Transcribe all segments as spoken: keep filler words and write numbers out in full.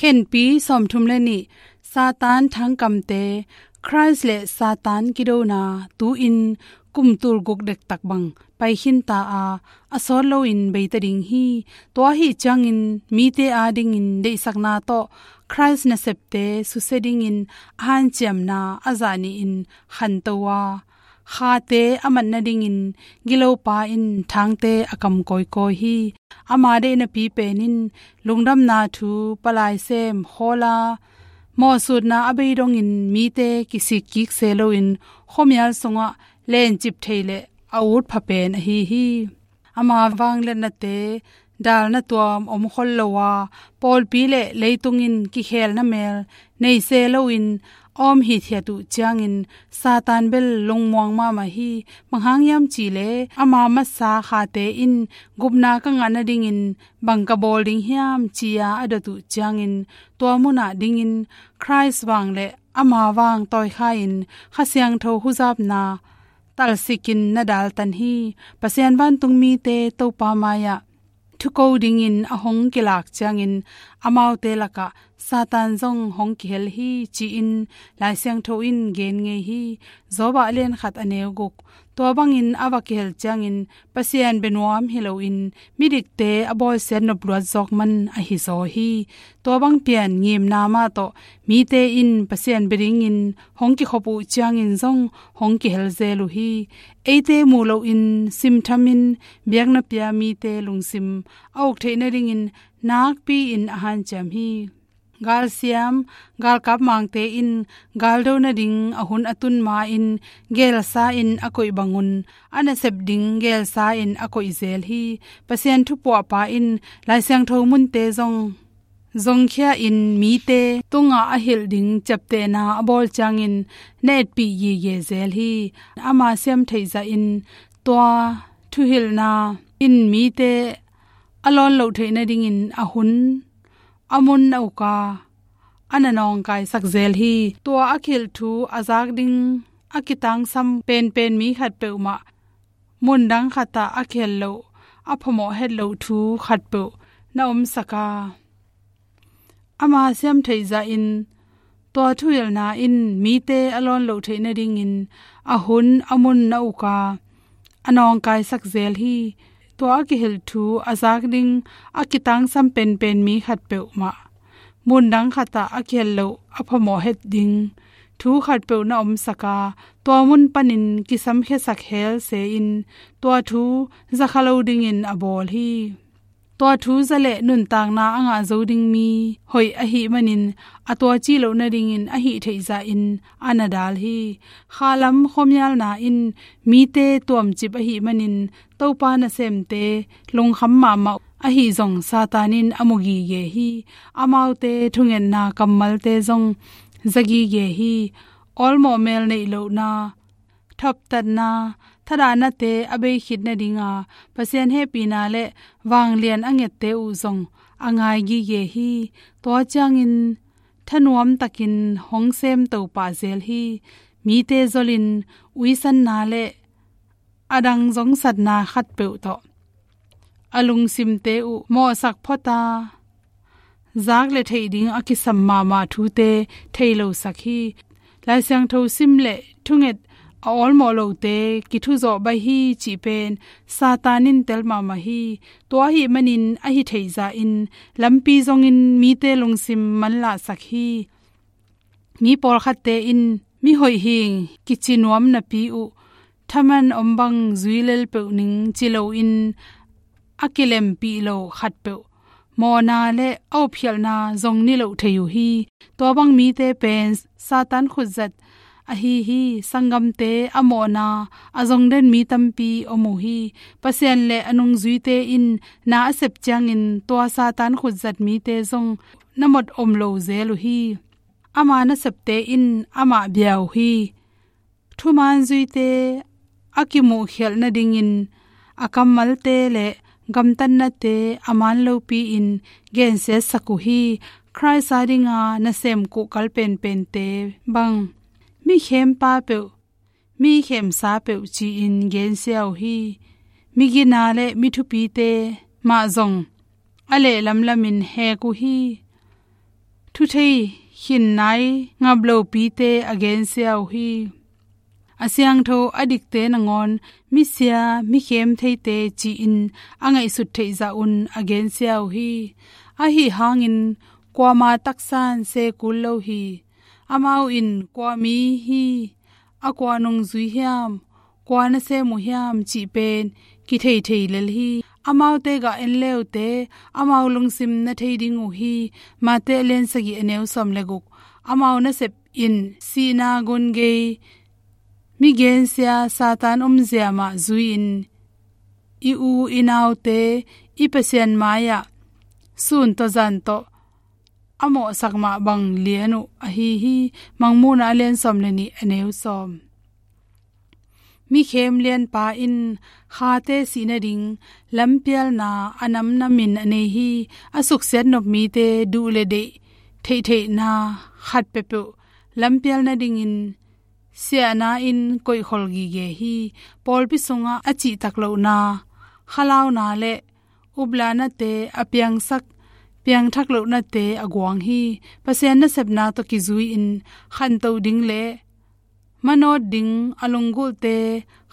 Khenpi sawmthum le nih. Satan thangkamte. Khrist le Satan kidona tu-in kum tulguk dektak bang pai khinta a, a sawt loin beita ding hi. Tua ahih ciangin mite adingin deihsakna tawh Khrist nasepte susia dingin a hanciamna a zah nihin khanto a, khate a mat nadingin gilopa in thangte a kam kawikawi hi. Ama deihnapi pen in lungdamna thu, palai sem, khawla mawhsutna a bei dongin mite kisikkik se loin khuamial sungah lencip thei le a ut pha pen ahi hi. Ama vangliatnate dalna tuam om khol lo a, pawlpi le leitung in kikhelna mel nei se loin a om hithiat uh ciangin Satan bel lungmuang mahmah hi. Bang hang hiam cih leh ama masa khate in gupna ka ngah nadingin bang ka bawl ding hiam ci-a a dot uh ciangin tua munah dingin Khrist vang le ama vang tawi kha-in Kha Siangtho huzapna talsikin na daltan hi. Pasian vantung mite Topa mai-ah thuko dingin a hong kilak ciangin amaute lakah Satan zong hong kihel hi, ci-in Lai Siangtho in gen ngei hi. Job ah lian khat a neu guk. Tua bangin a va kihel ciangin Pasian bia nuam hi loin midikte a bawlsiat nopluat zawk man ahi zaw hi. Tua bang pian ngimna mah tawh mite in Pasian bia dingin hong kikhop uh ciangin zong hong kihel zel uh hi. Eite muh loin simthamin biakna pia mite lungsim a uk theih nadingin nakpi-in a hanciam hi. Galsiam, galkap mangte in galdo nading a hun a tun ma-in gelsa-in a koih bangun a nasep ding gelsa-in a koih zel hi. Pasian thupuahpa in Lai Siangtho munte zong zongkhia-in mite tungah a hilh ding ciaptehna a bawl ciangin na etpih gige zel hi. Ama siamtheih zahin tua thuhilhna in mite a lawn loh theih nadingin a hun a mun a uka a na nawngkaisak zel hi. Tua a kihilh thu a zak ding a kitangsam penpen mi khat peuhmah, mundang khatah a kihel loh a phamawh het loh thu khatpeuh na omsak a, ama siamtheih zahin tua thuhilhna in mite a lawn loh theih nadingin a hun a mun a uka a nawngkaisak zel hi. Tua a kihilh thu a zak ding a kitangsam penpen mi khat peuhmah, mundang khatah a kihel loh a phamawh het ding thu khatpeuh na omsak a, tua mun panin kisamkhiasak hel se-in tua thu zakha lo dingin a bawl hi. Tua thu za le nuntakna a ngah zo ding mi hoih ahih manin a tuaci loh nadingin a hih theih zahin a na dal hi. Khalam khuamialna in mite tuamcip ahih manin Topa nasemte lungkham mahmah ahi zong Satan in a mu gige hi. Amaute thungetna kammalte zong za gige hi. Awlmawh mel neih lohna, thoptatna, thadahnate a bei khit nadinga Pasian hehpihna le vanglian a ngette uh zong a ngai gige hi. Tua ciangin thanuamtakin hong sem to pah zel hi. Mite zolin uisanna le a dang zongsatna khatpeuh tawh a lungsimte uh mawhsak phota, zak le theih ding a kisam mahmah thute thei losak hi. Lai Siangtho sim le thunget a awlmawh lote kithuzawh baih hi cih pen Satan in tel mahmah hi. Tua ahih manin a hi theih zahin lampi zongin mite lungsim manlahsak hi. Mi pawlkhatte in mihoih hing kici nuam napi uh thaman om bang zui lel peuh ning ci loin a kilempih lo khatpeuh mawhna le a upkhialhna zong niloh thei uh hi. Tua bang mite pen Satan khutzat ahi hi. Sanggamte a mawhna a zong den mi tampi om uh hi. Pasian le a nungzuite in na a sep ciangin tua Satan khutzat mite zong na mot om lo zel uh hi. Ama nasepte in amah bia uh hi. Thumaan zuite a kimuhkhialh nadingin a kammalte le gamtatnate a man lopi-in gensiatsak uh hi. Khrist a dinga nasem kuhkal penpente bang mi khempa peuh, mi khemsa peuh ci-in gensia uh hi. Mi gina le mi thupite mah zong a lehlamlamin hek uh hi. Thu thei khin nai ngap lopite a gensia uh hi. A siangtho a dikte nangawn misia, mikhem theite ci-in a ngaihsut theih zah un a gensia uh hi. Ahi hangin kuama taksan se kul lo hi. Amau in kua mi hi, a kua nungzui hiam, kua nasem uh hiam cih pen kithei thei lel hi. Amaute gah en leute, amau lungsim na thei ding uh hi. Mate a lian sagih a neu sawm le guk. Amau nasep in sihna gun gei, mi gensia Satan omzia mah zui-in i u i naute i Pasian mai-ah sun tawh zan tawh a mawhsak mah bang lian uh ahi hi. Mangmuhna a lian sawm le nih a neu sawm. Mikhem lianpa in khate sih nading lampialna a namnamin a nei hi. A suksiat nop mite duh le deih theihtheihna khat peuhpeuh lampial nadingin siahna in koihkhol gige hi. Pawlpi sungah a cihtak lohna, khalauna le uplanate a piangsak, piangthak lohnate a guang hi. Pasian nasepna tawh kizui-in khantoh ding le manawt ding a lunggulhte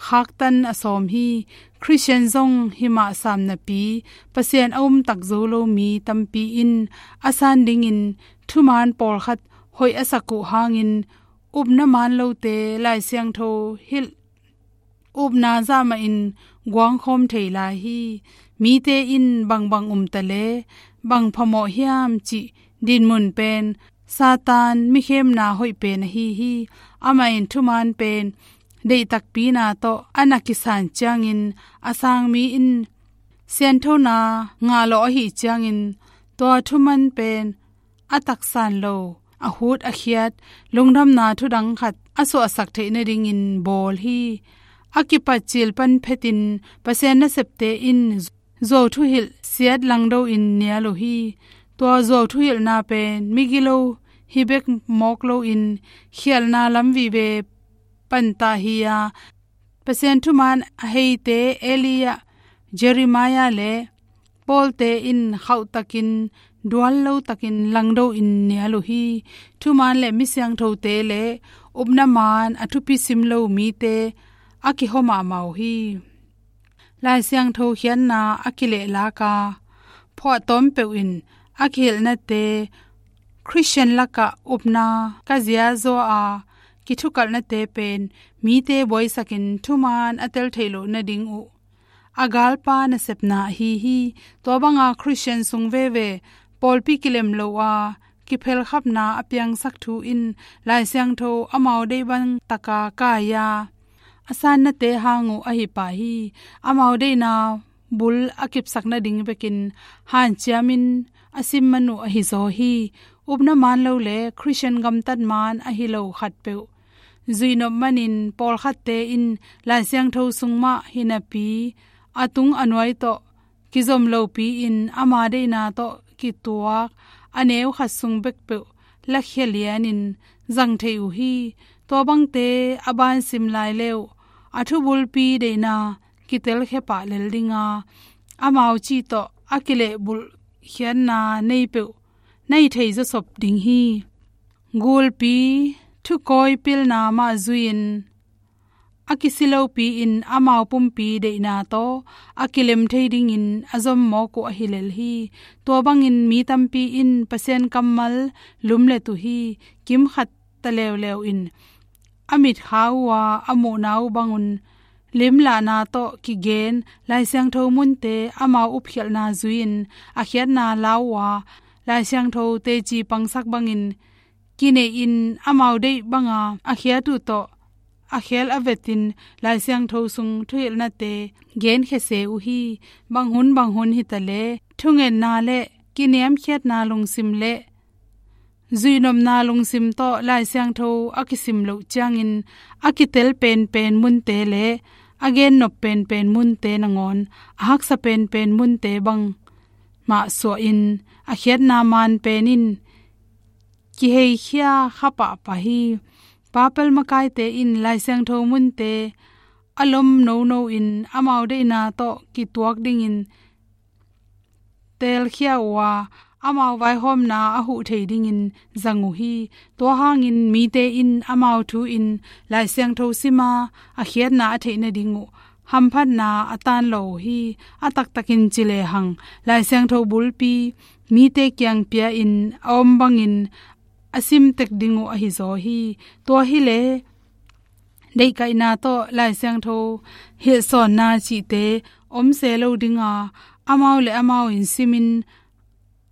khaktan a sawm hi. Khristian zong himah sam napi Pasian a umtak zo lo mi tampi in a san dingin thuman pawlkhat hoih a sak uh hangin upna man lote Lai Siangtho hilh upna zahmahin guangkhawm thei lai hi. Mite in bangbang um ta le bang phamawh hiam cih dinmun pen Satan mikhemna hoih pen ahi hi. Amah in thuman pen deih takpina tawh a na kisan ciangin a sang mi in sianthona ngah lawh ahih ciangin tua thuman pen a taksan lo, a hut a khiat lungdamna thudang khat a suahsak theih nadingin bawl hi. A kipat cil pan phetin Pasian nasepte in zuau thuhilh siat langdo in nial uh hi. Tua zuau thuhilhna pen migilo hi bek mawk loin khialhna lam vive panta hi-a, Pasian thuman a heite Elijah, Jeremiah le Pawlte in khauhtakin dual lotakin langdo in nial uh hi. Thuman le misiangthote le upna man a thupi sim lo mite a kihawm mahmah uh hi. Lai Siangtho khiatna a kilehlaka phuahtawm peuh in a kihilhnate Khristian lakah upna ka ziazaw a kithukalhnate pen mite buaisakin thuman a tel theih loh nading uh a galpa nasepna ahi hi. Tua banga Khristian sung veve pawlpi kilem lo a kiphelkhapna a piangsak thu in Lai Siangtho amau deih bang taka kai-a a sannate hang uh ahi pah hi. Amau deihna bul a kipsak nading bekin hanciamin a sim man uh ahi zaw hi. Upna man lo le Khristian gamtat man ahi lo khatpeuh zuihnop manin pawlkhatte in Lai Siangtho sung mah hinapi a tung a nuai tawh kizom lopi-in ama deihna tawh kituak a neu khat sung bekpeuh lakhia lianin zang thei uh hi. Tua bangte a bansim lai le uh a thubulpi deihna kitelkhia pah lel dinga amau cih tawh a kilehbulh khiatna nei peuh na hi thei zawsop ding hi. Gulpi thukawi pilna mah zui-in a kisi lopi-in amau pumpi deihna tawh a kilem thei dingin a zom mawk uh ahi lel hi. Tua bangin mi tampi in Pasian kammal lumlet uh hi. Kimkhat ta leuleu in a mitkhau uh a, a muhna uh bangun limlahna tawh kigen Lai Siangtho munte amau upkhialhna zui-in a khiatna lau uh a, Lai Siangtho teci pangsak bangin kinei-in amau deih banga a khiat uh tawh a khel a vetin Lai Siangtho sung thuhilhnate genkhia se uh hi. Bang hun bang hun hi ta le thungetna le kiniamkhiatna lungsim le zuihnopna lungsim tawh Lai Siangtho a kisim loh ciangin a kitel penpen munte le a gennop penpen munte nangawn a haksa penpen munte bang mah suahin a khiatna man pen in kiheikhia kha pahpah hi. Papal makaite in Lai Siangtho munte a lom nono in amau deihna tawh kituak dingin telkhia uh a, amau vaihawmna a huh thei dingin zang uh hi. Tua hangin mite in amau thu in Lai Siangtho sima a khiatna a theih nading uh hamphatna a tan lo uh hi. A taktakin ci lehang Lai Siangtho bulpi mite kiang pia-in a om bangin a sim tek ding uh ahi zaw hi. Tua hileh deihkaihna tawh Lai Siangtho hilhsawnna cihte om se lo dinga, amau le amau in simin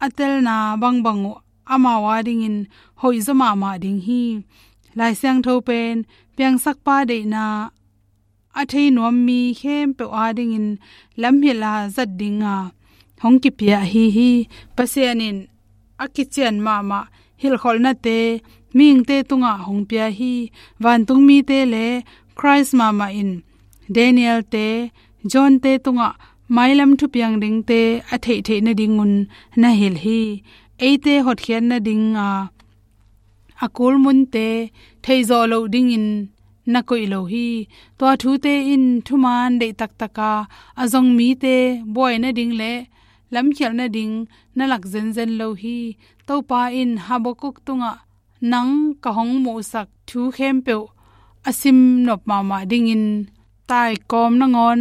a telna bangbang uh amau adingin hoihzaw mahmah ding hi. Lai Siangtho pen piangsakpa deihna a thei nuam mi khempeuh adingin lamhilh a zat dinga hong kipia ahi hi. Pasian in a kician mahmah hilhkholhnate mihingte tungah hong pia hi. Vantung mite le Khrist mahmah in Daniel-te, John-te tungah mailam thupiang dingte a theihtheih nadingun na hilh hi. Eite hotkhiat nadinga a kulmunte theihzawh loh dingin na koih lo hi. Tua thute in thumaan deih taktaka a zong mite buai nading le lamkhialh nading na lak zenzen lo hi. Topa in Habakkuk tungah nang ka hong muhsak thu khempeuh a sim nop mahmah dingin taikawm nangawn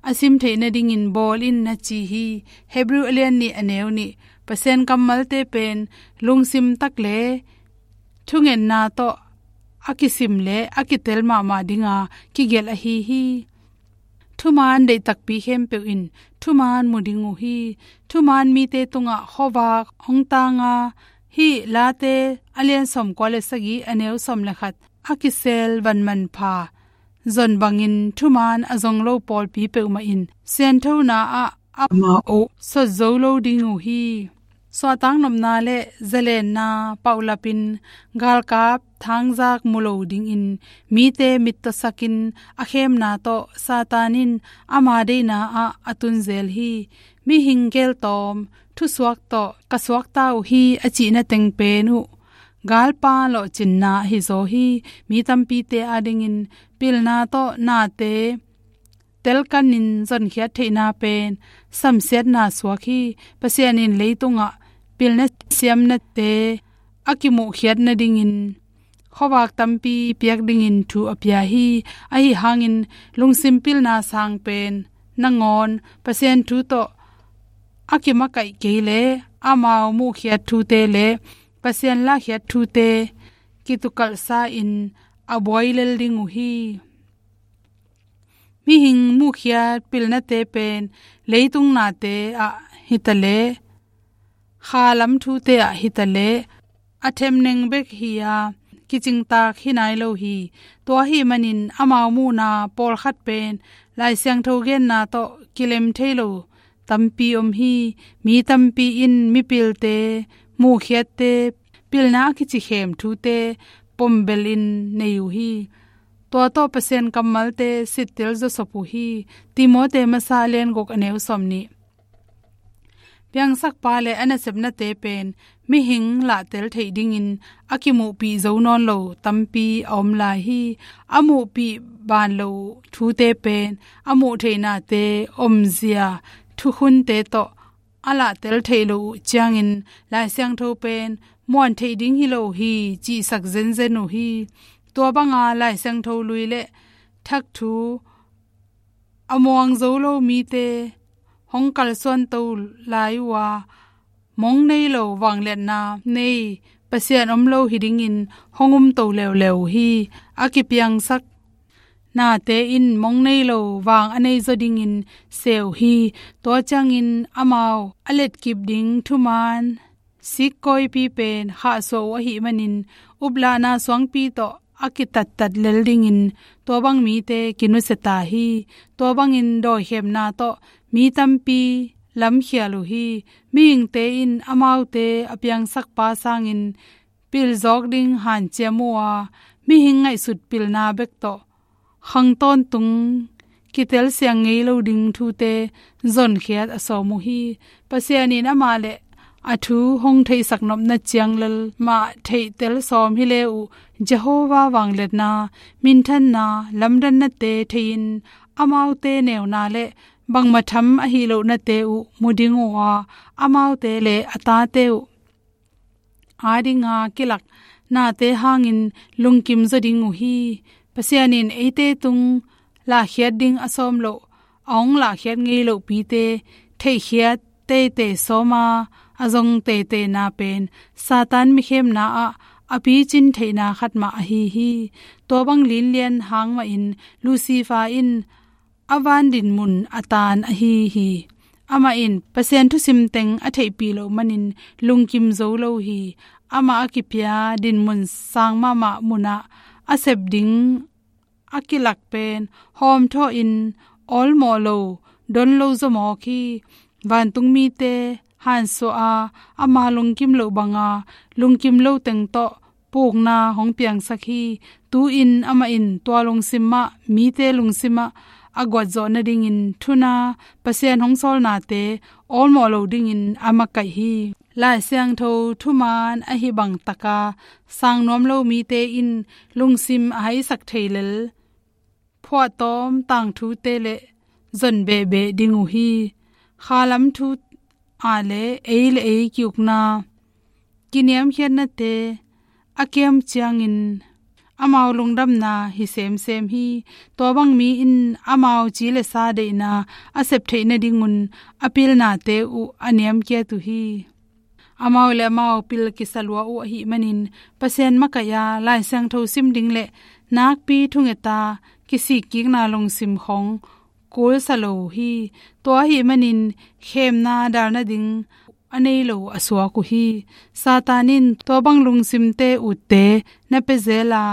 a sim theih nadingin bawl in na ci hi. Hebrew a lian nih a neu nih. Pasian kammalte pen lungsim tak le thungetna tawh a kisim le a kitel mahmah dinga kigelh ahi hi. Thumaan deih takpi khempeuh in thumaan mu ding uh hi. Thumaan mite tungah khuavak hong tanga, hih Late a lian sawmkua le sagih a neu sawm le khat a kisel van manpha zon bangin thumaan a zong lo pawlpi peuhmah in sianthona ah amau sot zo lo ding uh hi. Suahtaknopna le zalenna paulapin galkap thangzak mu lo dingin mite mittawsakin a khemna tawh Satan in ama deihna ah a tunzel hi. Mihing geltawm thusuak tawh ka suakta uh hi a cihna teng pen uh galpa lawhcinna ahi zaw hi. Mi tampite adingin pilna tawh nate telkanin zonkhiat theihna pen samsiatna suak hi. Pasian in leitungah pilna siamnate a kimuhkhiat nadingin khuavak tampi piak dingin thu a pia hi. Ahi hangin lungsim pilna sang pen nangawn Pasian thu tawh a kimakaih kei le amau muhkhiat thute le Pasian lahkhiat thute kitukalhsa in a buai lel ding uh hi. Mihing muhkhiat pilnate pen leitung nate ah hitaleh, khalam thute ah hitaleh a themneng bek hi-a kicingtak hi nai lo hi. Tua ahih manin amau muhna pawlkhat pen Lai Siangtho genna tawh kilem thei lo tampi om hi. Mi tampi in mipilte, muhkhiatte, pilna a kici khem thute pombel in nei uh hi. Tua tawh Pasian kammalte sittel zawsop uh hi. Timote masa a lian guk a neu sawm nih. Piangsakpa le a nasepnate pen mihing lahtel theih dingin a kimuhpih zo nawn lo tampi a om lai hi. A muhpih ban lo thute pen a muh theihnate omzia thukhunte tawh a lahtel theih loh uh ciangin Lai Siangtho pen muan theih ding hi lo hi cihsak zenzen uh hi. Tua banga Lai Siangtho lui le thak thu a muang zo lo mite hong kalsuan to lai uh a, mong nei lo vangliatna nei Pasian om lo hi dingin hong um to leuleu uh hi. A kipiangsak nate in mong nei lo vang a nei zaw dingin se uh hi. Tua ciangin amau a letkip ding thumaan sikkawipi pen khahsuah uh ahih manin uplahna suangpi tawh a kitattat lel dingin tua bang mite kinusia ta hi. Tua bangin dawikhemna tawh mi tampi lamkhial uh hi. Mihingte in amaute a piangsakpa sangin pilzawk ding hanciam uh a, mihing ngaihsut pilna bek tawh khang tawntung kitel siang ngei lo ding thute zonkhiat a sawm uh hi. Pasian in amah le a thu hong theihsak nopna ciang lel mah theihtel sawm hi le uh, Jehovah vangliatna, minthanna, lamdannate thei-in amaute neuna le bangmah tham ahi lohnate uh mu ding uh a, amaute le a tate uh adinga kilak nate hangin lungkim zaw ding uh hi. Pasian in eite tung lahkhiat ding a sawm loh, a hong lahkhiat ngei lohpite theihkhiat teitei sawma a zong teiteina pen Satan mikhemna ah a picin theihna khat mah ahi hi. Tua bang linlian hang mahin Lucifer in a van dinmun a tan ahi hi. Amah in Pasian thusim teng a theihpih loh manin lungkim zo lo hi. Amah a kipia dinmun sang mahmah munah a sep ding a kilak pen hawmthawh in awlmawh lo, don lo zaw mawk hi. Vantung mite hansuah a, ama lungkim loh banga lungkim lo teng tawh pukna hong piangsak hi. Tu-in amah in tua lungsim mah mite lungsim ah a guatzawh nadingin thuna Pasian hong sawlnate awlmawh lo dingin a makaih hi. Lai Siangtho thuman ahi bang taka sang nuam lo mite in lungsim a haisak thei lel phuahtawm tangthute le zon behbeh ding uh hi. Khalam thu a le ei le ei ki-ukna, kiniamkhiatnate a kiam ciangin amau lungdamna hi semsem hi. Tua bang mi in amau ci le sa deihna a sep theih nadingun a pilnate uh a niamkiat uh hi. Amau le amau pil kisa lua uh ahih manin Pasian makaih a Lai Siangtho sim ding le nakpi thungeta kisikkikna lungsim khong kulsa lo uh hi. Tua ahih manin khemna dal nading a nei lo a suak uh hi. Satan in tua bang lungsimte utte na pia zel a,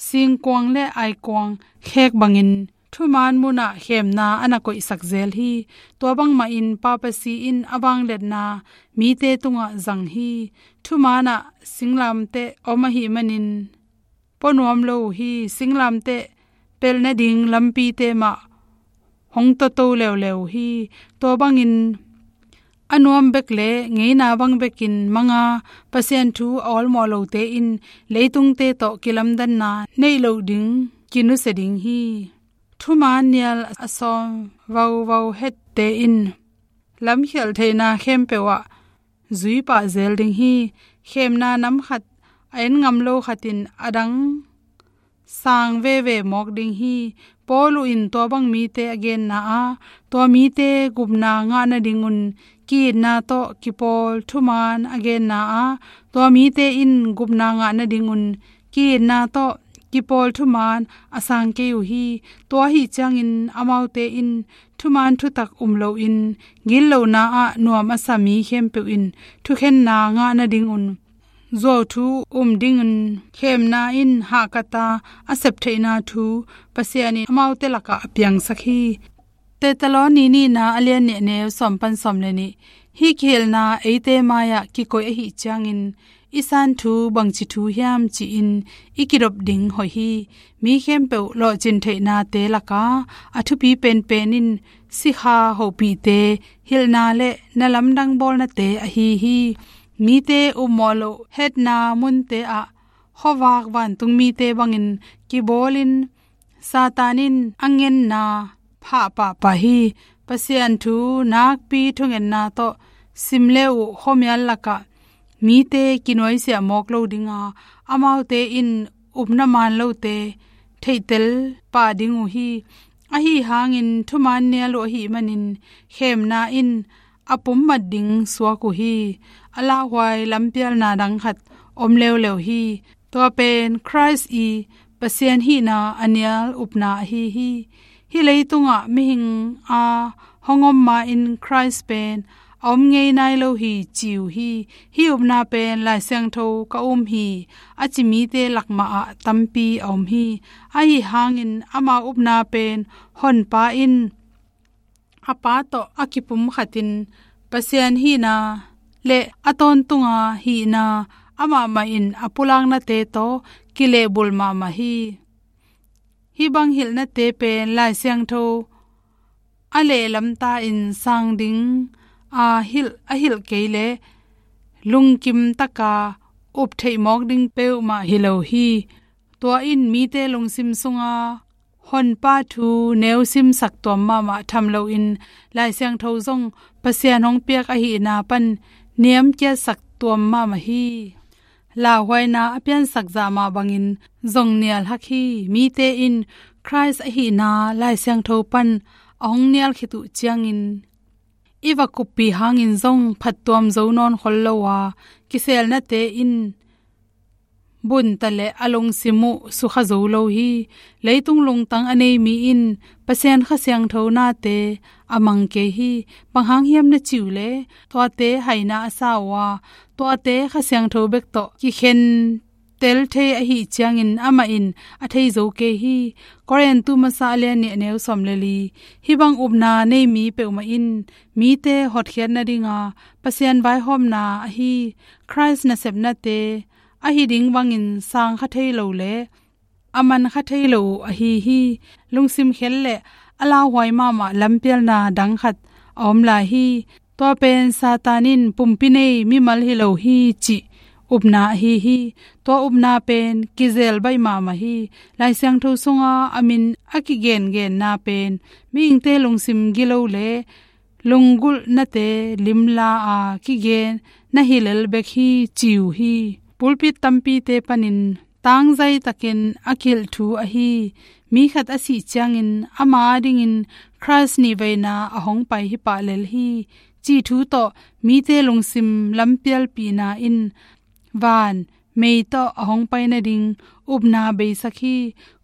singkuang le aikuang khek bangin thuman munah khemna a na koihsak zel hi. Tua bangmahin papasi in a vangliatna mite tungah zang hi. Thumanah singlamteh om ahih manin puanuam lo uh hi. Singlamteh pelh nading lampite mah hong toto leuleu uh hi. Tua bangin a nuam bek le ngeina bang bekin manga Pasian thu a awlmawh lote in leitungte tawh kilamdanna neih loh ding kinusia ding hi. Thuman nial a sawm vauvau hette in lamkhialh theihna khempeuh ah zui pah zel ding hi. Khemna nam khat a en ngam lo khat in a dang sang veve mawk ding hi. Paul uh in tua bang mite a genna ah tua mite gupna ngah nadingun ki-itna tawh kipawl thuman a genna ah tua mite in gupna ngah nadingun ki-itna tawh kipawl thuman a sang kei uh hi. Tua ahih ciangin amaute in thuman thutak um loin gitlohna ah nuam a sa mi khempeuh in thukhenna ngah nadingun zuauthu um dingin khemna in hahkata a septheihna thu Pasian in amaute lakah a piangsak hi. Thesalonika nihna a lian nih a neu sawm pan sawm le nih. Hih kihilhna eite mai-ah kikoih ahih ciangin i san thu bangci thu hiam ci-in i kidop ding hoih hi. Mi khempeuh lawhcin theihnate laka a thupi penpen in sikha hopihte hilhna le na lamdang bawlnate ahi hi. Mite upmawh loh hetna munte ah khuavak vantung mite bangin kibawlin Satan in a ngenna phah pahpah hi. Pasian thu nakpi thungetna tawh sim le uh khuamial lakah mite kinuaisiah mawk lo dinga amaute in upna man lote theihtel pah ding uh hi. Ahi hangin thuman nial uh ahih manin khemna in a pummat ding suak uh hi. A lauhuai lampialna dang khat om leuleu hi. Tua pen Khrist i Pasian hihna a nial upna ahi hi. Hih leitungah mihing a hong om ma-in Khrist pen a om ngei nai lo hi ci uh hi. Hih upna pen Lai Siangtho ka um hi a ci mite lakmah ah tampi a om hi. Ahi hangin ama upna pen Honpa in a Pa tawh a kipumkhatin Pasian hihna le a tawntunga hihna amah mahin a pulaknate tawh kilehbulh mahmah hi. Hih bang hilhnate pen Lai Siangtho a lehlamta in sang ding a hilh, a hilh kei le lungkim taka up theih mawk ding peuhmah hi lo hi. Tua in mite lungsim sunga Honpa thu neu simsak tuam mahmah tham loin Lai Siangtho zong Pasian hong piak ahihna pan niamkiatsak tuam mahmah hi. Lauhuaina a piansak zah mah bangin zong nial hak hi. Mite in Khrist ahihna Lai Siangtho pan a hong nial khit uh ciangin i va kuppi hangin zong phattuam zo nawn khol lo a, kiselnate in bunta le a lungsim uh sukha zo lo hi. Leitung lungtang a nei mi in Pasian Kha Siangtho nate a mang kei hi. Bang hang hiam na ci uh leh, tuate haina a sa uh a, tuate Kha Siangtho bek tawh kikhen tel thei ahih ciangin amah in a thei zo kei hi. Korintu masa a lian nih a neu sawm le li. Hih bang upna nei mi peuhmah in mite hotkhiat nadinga Pasian vaihawmna ahi Khrist nasepnate ahi ding bangin sang kha thei lo le a man kha thei lo uh ahi hi. Lungsim khel le a lauhuai mahmah lampialna dang khat a om lai hi. Tua pen Satan in pumpi nei mimal hi lo hi cih upna ahi hi. Tua upna pen kizel baih mahmah hi. Lai Siangtho sunga a min a kigengenna pen mihingte lungsim gilo le lunggulhnate limla a kigen na hi lel bek hi ci uh hi. Pulpit tampite panin tangzai takin a kilh thu ahi. Mi khat a sih ciangin ama adingin Khrist nihveina a hong pai hi pah lel hi cih thu tawh mite lungsim lampialpihna in van mei tawh a hong pai nading upna beisak hi.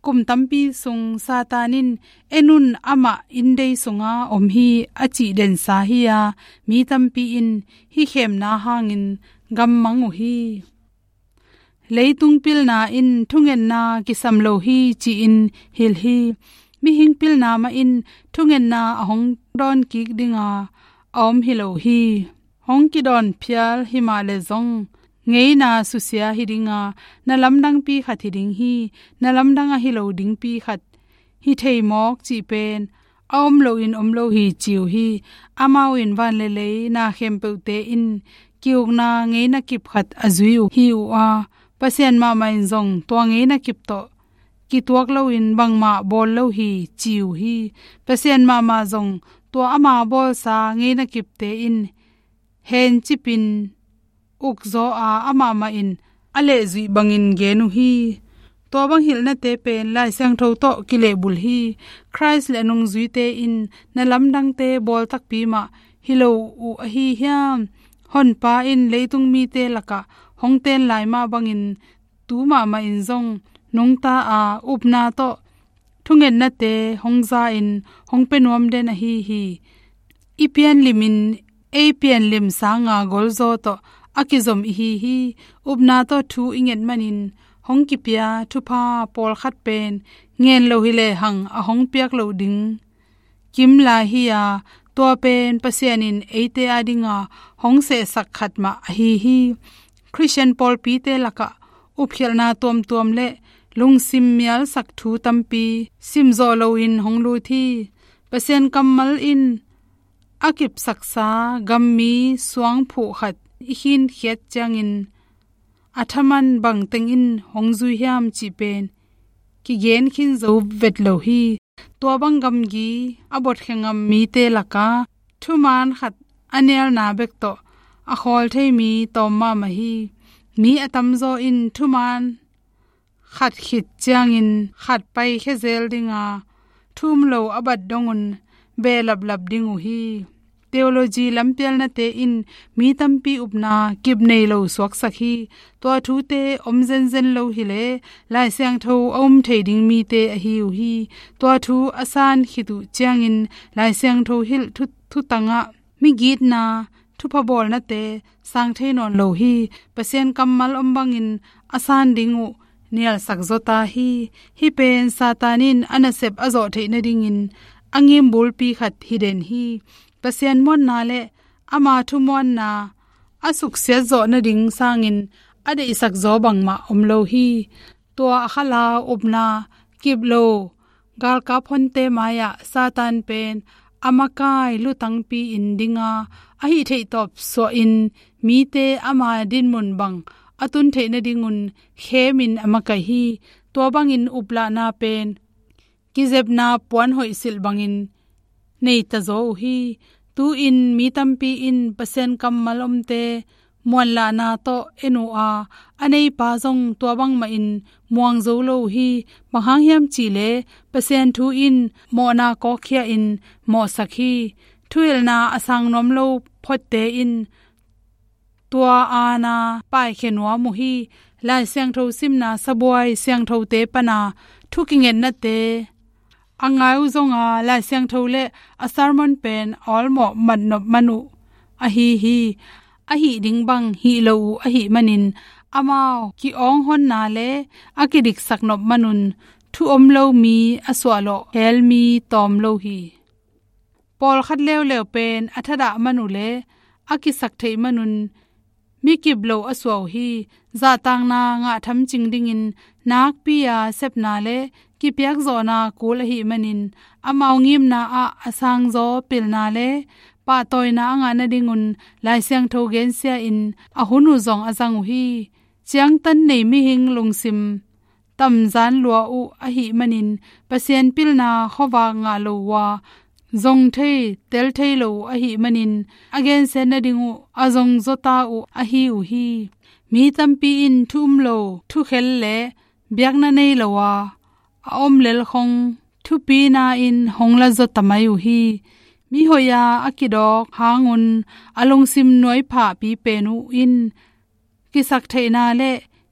Kum tampi sung Satan in, "En un, amah inndei sunga om hi," a cih densa hi a, mi tampi in hih khemna hangin gammang uh hi. Leitung pilna in thungetna kisam lo hi ci-in hilh hi. Mihing pilna mah in thungetna a hong dawn kik dinga a om hi lo hi. Hong kidawn phial hi mah leh zong ngeina susia hi dinga, na lamdangpi khat hi ding hi. Na lamdang ahi lo dingpi khat hi thei mawk cih pen a om loin om lo hi ci uh hi. Amau in van le lei na khempeuhte in ki-ukna ngeina kip khat a zui uh hi uh a, Pasian mahmah in zong tua ngeina kip tawh kituak loin bangmah bawl lo hi ci uh hi. Pasian mahmah zong tua ama bawlsa ngeina kipte in hencipin ukzaw a, amah mah in a lehzuih bangin gen uh hi. Tua bang hilhnate pen Lai Siangtho tawh kilehbulh hi. Khrist le a nungzuite in na lamdangte bawl takpi mah hi lo uh ahi hiam? Honpa in leitung mite lakah hong ten lai mah bangin tu mahmah in zong nungta a, upna tawh thungetnate hong za-in hong pia nuam den ahi hi. I pianlimin ei pianlim sanga golzaw tawh a kizom ihi hi. Upna tawh thu i nget manin hong kipia thupha pawlkhat pen ngen lo hi lehang a hong piak loh ding kim lai hi a, tua pen Pasian in eite adinga hong sehsak khat mah ahi hi. Khristian pawlpite lakah upkhialhna tuamtuam le lungsim mialsak thu tampi simzawh loin hong lut hi. Pasian kammal in a kipsaksa gammi suangphuh khat i khinkhiat ciangin a thaman bangteng in hong zui hiam cih pen kigen khin zo vet lo hi. Tua bang gamgi a botkhia ngam mite laka thuman khat a nialna bek tawh a khawl thei mi tawm mahmah hi. Mi a tamzaw in thuman khat khit ciangin khat paikhia zel dinga, thu um lo a bat dongun behlaplap ding uh hi. Theology lampialnate in mi tampi upna kip nei lo suaksak hi. Tua thute om zenzen lo hileh Lai Siangtho a um thei ding mite ahi uh hi. Tua thu a san khit uh ciangin Lai Siangtho hilh thu, thutangah migitna, thupha bawlnate sang thei nawn lo hi. Pasian kammal om bangin a san ding uh nialsak zaw ta hi. Hih pen Satan in a nasep a zawh theih nadingin a ngimbulpi khat hi den hi. Pasian muanna le ama thumuanna a suksiat zawh nading sangin a deihsak zaw bangmah om lo hi. Tua a khalau upna kip lo galkap honte mai-ah Satan pen a makai lutangpi in dinga, a hih theih tawp suahin mite ama dinmun bang a tun theih nadingun khemin a makaih hi. Tua bangin uplahna pen kizepna puan hoihsilh bangin nei tazaw uh hi. Tu-in mi tampi in Pasian kammal omte muanlahna tawh en uh a, a neipa zong tua bangmahin muang zo lo uh hi. Bang hang hiam cih leh Pasian thu in mawhna kawkkhia in mawhsak hi. Thuhilhna a sang nuam lo photte in tua aana paikhia nuam uh hi. Lai Siangtho simna, sabuai siangthote pana thu kingetnate a ngai uh zonga, Lai Siangtho le a sermon pen a awlmawh matnop man uh ahi hi. A hih ding bang hih lo uh ahih manin, amau ki-awnghonna le a kidiksak nop manun thu om lo mi a suahlawh hel mi tawm lo hi. Pawlkhat leuleu pen a thadah man uh le a kisak theih manun mi kip lo a suah uh hi. Zahtakna ngah thamcing dingin nakpi-a sepna le kipiakzawhna kul ahih manin, amau ngimna ah a sangzaw pilna le pahtawina a ngah nadingun Lai Siangtho gensia in a hun uh zong a zang uh hi. Ciangtan nei mihing lungsim tamzan lua uh ahih manin, Pasian pilna khuavak ngah lo uh a, zong thei, tel thei lo uh ahih manin, a gensiat nading uh a zong zawta uh ahi uh hi. Mi tampi in thu um lo, thukhel le biakna nei lo a, a om lel khong thupina in hong la zaw ta mai uh hi. Mi hoih a a kidawk hangun a lungsim nuaiphahpi pen uh in kisak theihna le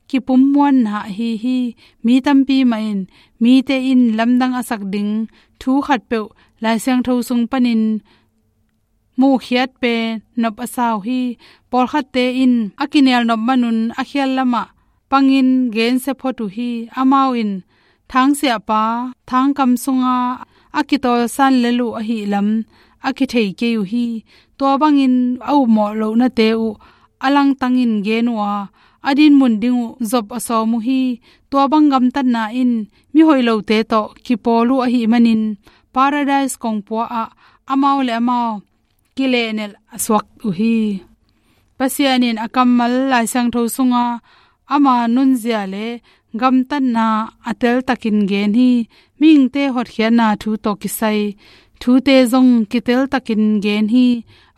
kipummuanna ahi hi. Mi tampi mahin mite in lamdang a sak ding thu khatpeuh Lai Siangtho sung panin muhkhiat pen nop a sa uh hi. Pawlkhatte in a kinial nop manun a khial lamah pangin gensia phot uh hi. Amau in thangsiahpa, thangkam sunga a kitawlsan lel uh ahih lam a kithei kei uh hi. Tua bangin a upmawh lohnate uh a langtangin gen uh a, a dinmun ding uh zop a sawm uh hi. Tua bang gamtatna in mi hoih lote tawh kipawl uh ahih manin, Paradise kongpua ah amau le amau kilehnelh a suak uh hi. Pasian in a kammal Lai Siangtho sunga ama nunzia le gamtatna a teltakin gen hi. Mihingte hotkhiatna thu tawh kisai thute zong kiteltakin gen hi.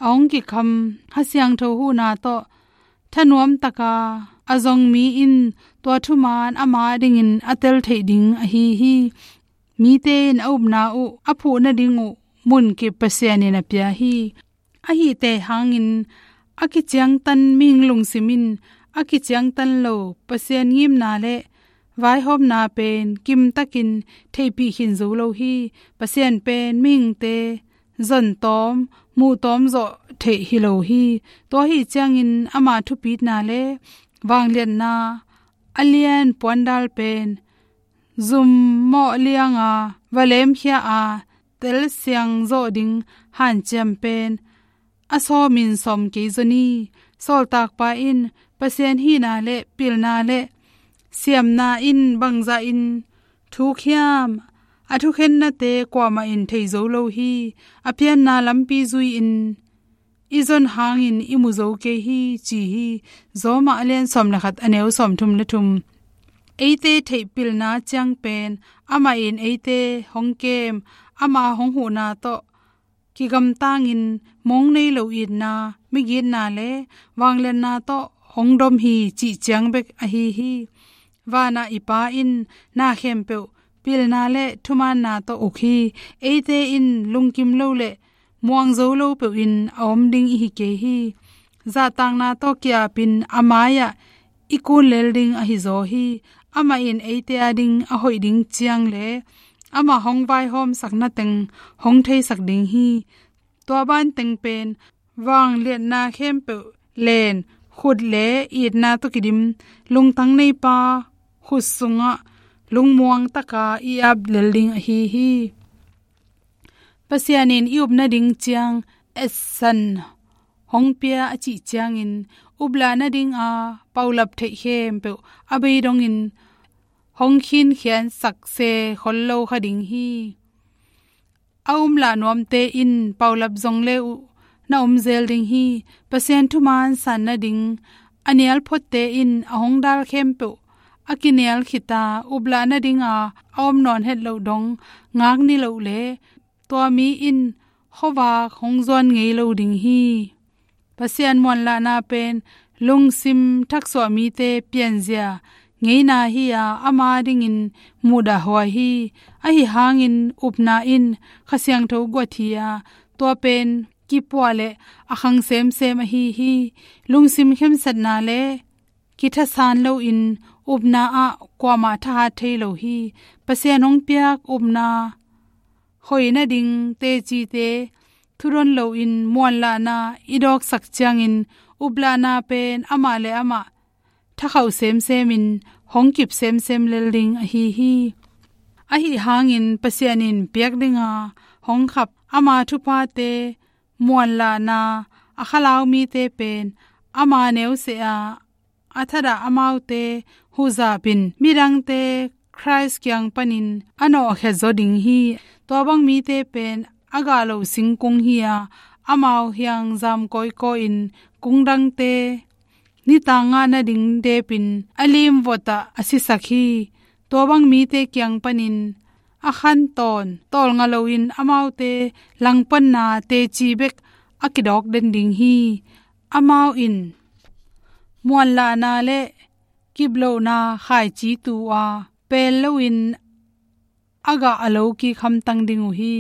A hong kikham Kha Siangtho huhna tawh thanuamtaka a zong mi in tua thuman ama dingin a tel theih ding ahi hi. Mite in a upna uh a phuh nading uh munkip Pasian in a pia hi. Ahihte hangin a kiciangtan mihing lungsim in a kiciangtan lo Pasian ngimna le vaihawmna pen kimtakin theihpih khin zo lo hi. Pasian pen mihingte zontawm, muhtawm zawh theih hi lo hi. Tua ahi ciangin ama thupitna le vangliatna a lian puandal pen zum mawh lianga va lemkhia a telsiang zawh ding hanciam pen a sawmin sawm kei zaw ni. Sawltakpa in Pasian hihna le pilna le siamna in bangzahin thuk hiam, a thukhennate kuamah in thei zo lo hi. A pianna lampi zui-in i zon hangin i mu zo kei hi, ci hi. Rom a lian sawm le khat, a neu sawmthum le thum. Eite theihpilna ciang pen amah in eite hong kem, ama hong huhna tawh kigamtangin mong nei lo itna, migitna le vangliatna tawh hong dom hi, cih ciang bek ahi hi. Vanah i Pa in na khempeuh pilna le thumaanna tawh uk hi. Eite in lungkim lo le muang zo lo peuhin a om ding i hi kei hi. Zahtakna tawh ki-apin a mai-ah i kun lel ding ahi zaw hi. Amah in eite ading a hoih ding ciang le amah hong vaihawmsakna teng hong theisak ding hi. Tua banteng pen vangliatna khempeuh len, khut le itna tawh kidim lungtang neipa khut sungah lungmuang taka i ap lel ding ahi hi. Pasian in i up nading ciang etsan hong pia a cih ciangin, uplah nadinga paulap theih khempeuh a bei dongin hong khinkhiansak se khol lo kha ding hi. A umlah nuamte in paulap zong le uh na um zel ding hi. Pasian thuman san nading a nialphotte in a hong dal khempeuh a kinial khita uplahna dinga a om nawn het loh dong ngak niloh le tua mi in khuavak hong zuan ngei lo ding hi. Pasian muanlahna pen lungsim thaksuah mite pianzia ngeina hi-a ama dingin muhdahhuai hi. Ahi hangin upna in Kha Siangtho guat hi-a tua pen kipuah le a khang semsem ahi hi. Lungsim khensatna le kithasan loin upna ah kuamah thahat thei lo hi. Pasian hong piak upna hoih nading tecite thudon loin muanlahna i dawksak ciangin uplahna pen amah le amah thakhauh semsemin hong kip semsem lel ding ahi hi. Ahi hangin Pasian in piak dinga hong khap ama thuphate muanlahna a khalau mite pen ama neuseh a a thadah amaute huzapin midangte Khrist kiang panin a nawhkhiat zaw ding hi. Tua bang mite pen a gah lo singkung hi-a amau hiangzam kawikawi in kungdangte nitang ngah nading depin a limvotah a sisak hi. Tua bang mite kiang panin a khantawn tawlnga loin amaute langpanna teci bek a kidawk den ding hi. Amau in muanlahna le kiplohna khaici tu a pel loin a gah a lo kik hamtang ding uh hi.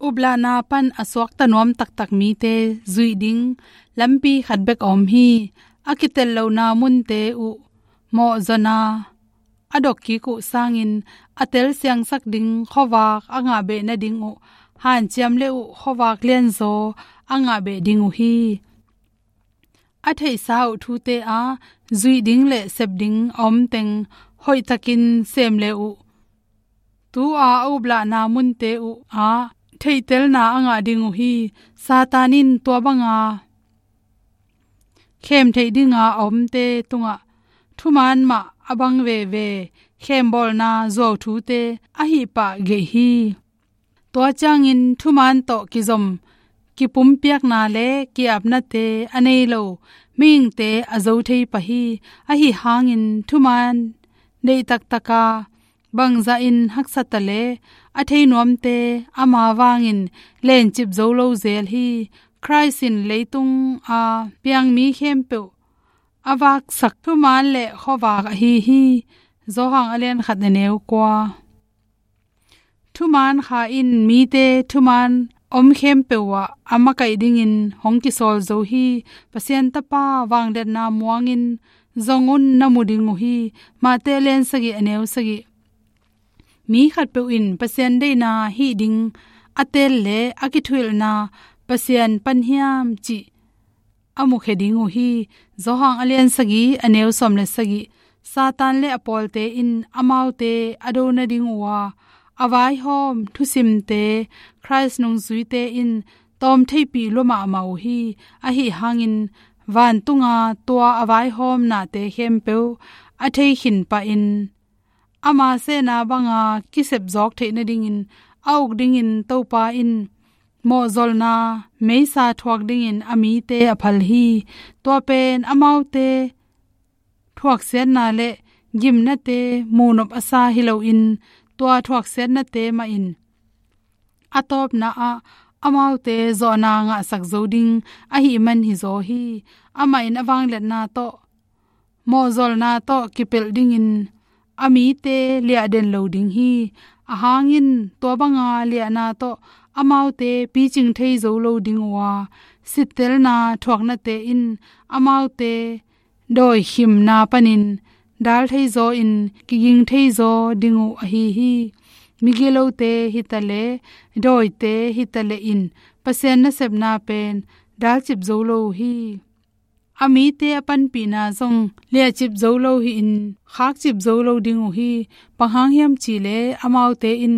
Uplahna pan a suakta nuam taktak mite zuih ding lampi khat bek a om hi. A kitellohna munte uh mawhzawna a dok kik uh sangin a telsiangsak ding khuavak a ngahbeh nading uh hanciam le uh khuavak lianzaw a ngahbeh ding uh hi. A theihsa uh thute a zuih ding le sep ding a omteng hoihtakin sem le uh tu-a a uplahna munte uh ah theihtelna a ngah ding uh hi. Satan in tua banga khem theih dinga a omte tungah thuman mah a bang veve khembawlna zuau thute a hih pah geih hi. Tua ciangin thuman tawh kizom kipumpiakna le ki-apnate a nei lo mihingte a zo thei pah hi. Ahi hangin thuman deih taktaka bangzahin haksa ta le a thei nuamte ama vangin lencip zo lo zel hi. Khrist in leitung a piang mi khempeuh a vaksak thuman le khuavak ahi hi. Johan a lian khat a neu kua. Thuman kha in mite thuman om khempeuh ah a makaih dingin hong kisawl zo hi. Pasian Tapa vangliatna muangin zong un na mu ding uh hi. Matthai a lian sagih a neu sagih. Mi khatpeuh in Pasian deihna hih ding a teel le a kithuhilhna Pasian pan hiam cih a mukhia ding uh hi. Johan a lian sagih a neu sawm le sagih. Satan le a pawlte in amaute a do nading uh a, a vaihawm thusimte Khrist nungzuite in tawm theihpih lua mahmah uh hi. Ahi hangin vantunga tua a vaihawmnate khempeuh a thei khin pahin ama sehna banga kisep zawk theih nadingin a uk dingin Topa in mawhzolna meisa thuak dingin a mite a phal hi. Tua pen amaute thuaksiatna le gimnate muhnop a sa hi loin tua thuaksiatnate mahin a tawpna ah amaute zawhna ngahsak zo ding ahih man hi zaw hi. Amah in a vangliatna tawh mawhzolna tawh kipelh dingin a mite liahden lo ding hi. A hangin tua banga liahna tawh amaute picing thei zo lo ding uh a, sittelna thuaknate in amaute dawikhimna panin dal thei zaw in kiging thei zaw ding uh ahi hi. Migilote hi ta le dawite hi ta le in Pasian nasepna pen dalcip zo lo uh hi. A mite a panpihna zong liahcip zo lo hi-in khakcip zo lo ding uh hi. Bang hang hiam cih leh amaute in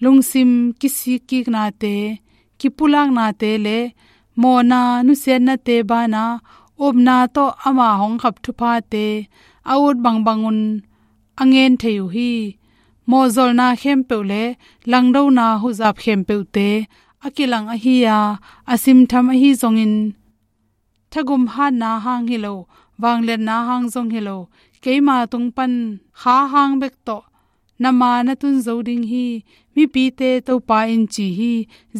lungsim kisikkiknate, kipulaknate le mawhna nusiatnate banah upna tawh ama hong khap thuphate a ut bangbangun a ngen thei uh hi. Mawhzolna khempeuh le langdona huzap khempeuhte a kilang ahi a, a simtham ahi zongin thagum hatna hang hi lo, vangliatna hang zong hi lo, keima tung pan kha hang bek tawh na ma na tun zo ding hi, mipite Topa in ci hi.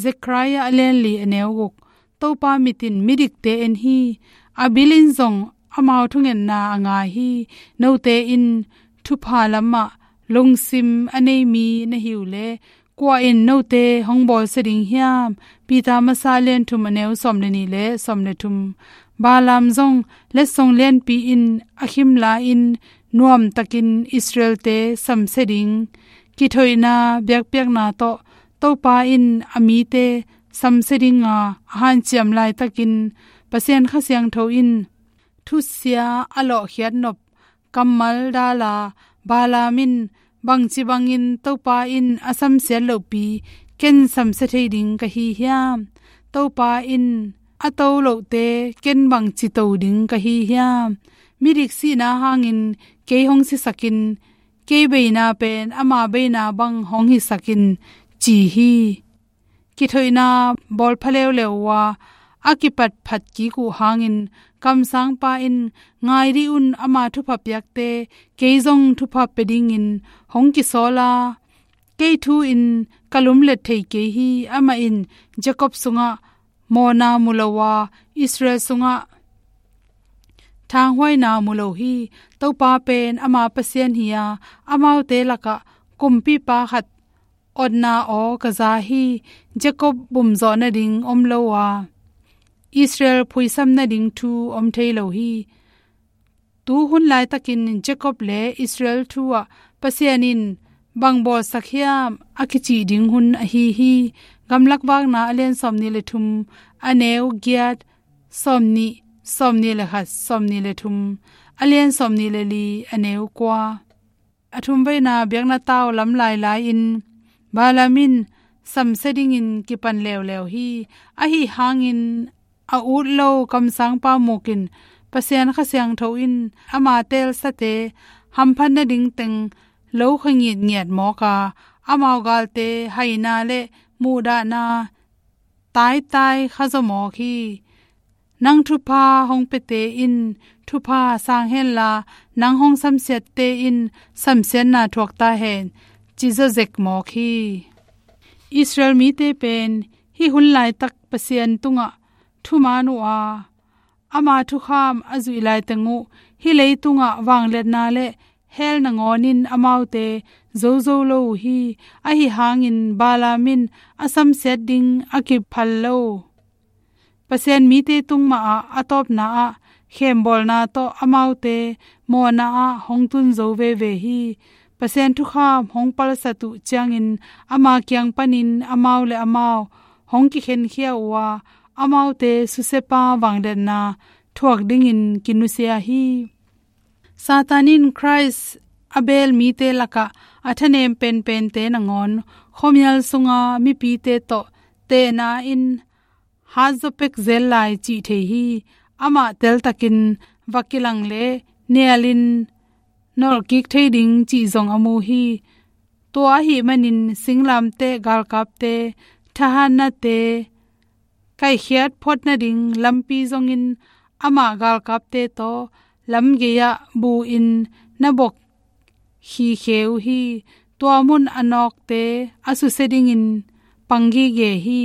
Zekhariah a lian li a neu guk. Topa mit in midikte en hi, a bil in zong amau thungetna a ngai hi. Note in thupha lamah lungsim a nei mi na hi uh leh, kua in note hong bawlsia ding hiam? Peter masa lian thum a neu sawm le nih le sawm le thum. Balaam zong letsong lianpi in a khim lai-in nuamtakin Israel-te samsia ding kithoihna biakpiakna tawh Topa in a mite samsia dinga a hanciam laitakin Pasian Kha Siangtho in thusia a lawhkhiat nop kammal dala, Balaam in bangci bangin Topa in a samsiat lohpi ken samsia thei ding ka hi hiam? Topa in a to lohte ken bangci to ding ka hi hiam? Midik sihna hangin kei hong sisakin, kei beina pen ama beina bang hong hisakin, ci hi. Kithoihna bawl pha leuleu uh a, a kipatphat kik uh hangin kamsangpa in, ngai dih un, ama thupha piakte kei zong thupha pia dingin hong kisawl a, kei thu in ka lumlet thei kei hi. Amah in Jacob sungah mawhna mu lo a, Israel sungah thanghuaina mu lo hi. Topa pen ama Pasian hi a, amaute lakah kumpipa khat otna aw ka za hi. Jacob bumzawh nading om lo a, Israel phuisam nading thu om thei lo hi. Tu hun laitakin Jacob le Israel thu ah Pasian in bang bawlsak hiam a kicih ding hun ahi hi. Gamlak Vakna a lian sawmnih le thum, a neu giat, sawmnih, sawmnih le khat, sawmnih le thum, a lian sawmnih le li, a neu kua. A thumveina biakna tau lam lailai-in Balaam in samsia dingin kipan leuleu hi. Ahi hangin a ut lo kamsangpa muk in Pasian Kha Siangtho in ama teelsate hamphat nading teng lo kha ngitngiat mawk a, amau galte haina le muhdahna taitai khazaw mawk hi. Nang thupha hong piate in thupha sang henla, nang hong samsiatte in samsiatna thuak ta hen, ci zawzek mawk hi. Israel mite pen hih hun laitak Pasian tungah thuman uh a, ama thukham a zuih laiteng uh hih leitungah vangliatna le hell nangawn in amaute zozo lo uh hi. Ahi hangin Balaam in a samsiat ding a kiphal lo. Pasian mite tung mahah a tawpna ah khembawlna tawh amaute mawhna ah hong tun zo veve hi. Pasian thukham hong palsat uh ciangin ama kiang panin amau le amau hong kikhenkhia uh a, amaute susiapa vangliatna thuak dingin kinusia hi. Satan in Khrist a beel mite lakah a thanem penpente nangawn khuamial sunga mipite tawh tehna in hat zaw pek zel lai cih thei hi. Amah teltakin va kilang le nialin nolhkik thei ding cih zong a mu hi. Tua ahih manin singlamteh galkapte, thahatnate, kaikhiat phot nading lampi zongin amah galkapte tawh lamgei-ah bu-in na bok khikhe uh hi. Tua mun a nawkte a susia dingin pang gige hi.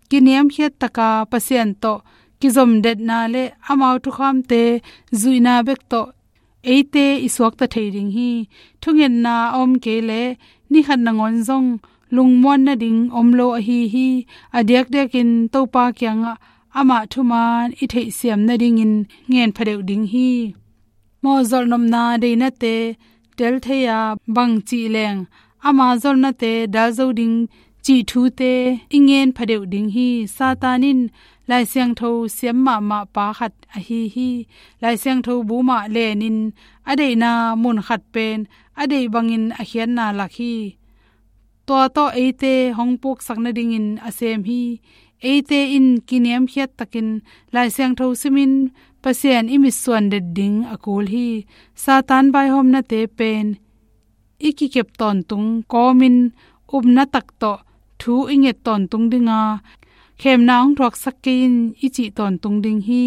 Kiniamkhiat taka Pasian tawh kizomdetna le amau thukhamte zuihna bek tawh eite i suakta thei ding hi. Thungetna a om kei leh ni khat nangawn zong lungmuan nading om lo ahi hi. A diakdiakin Topa kiangah amah thuman i theihsiam nadingin ngen phadeuh ding hi. Mawhzolh nopna deinate tel thei a, bang cih leng ama zolhnate dal zo ding cih thute i ngen phadeuh ding hi. Satan in Lai Siangtho siam mahmah pa khat ahi hi. Lai Siangtho bu mah lenin a deihna mun khat pen a deih bangin a khiatna lak hi. Tua tawh eite hong puksak nadingin a sem hi. Eite in kiniamkhiat takin Lai Siangtho simin Pasian i mitsuan det ding a kul hi. Satan vaihawmnate pen i kikep tawntung kawmin upna tak tawh thu i nget tawntung dinga, khemna hong thuaksak kei in i cih tawntung ding hi.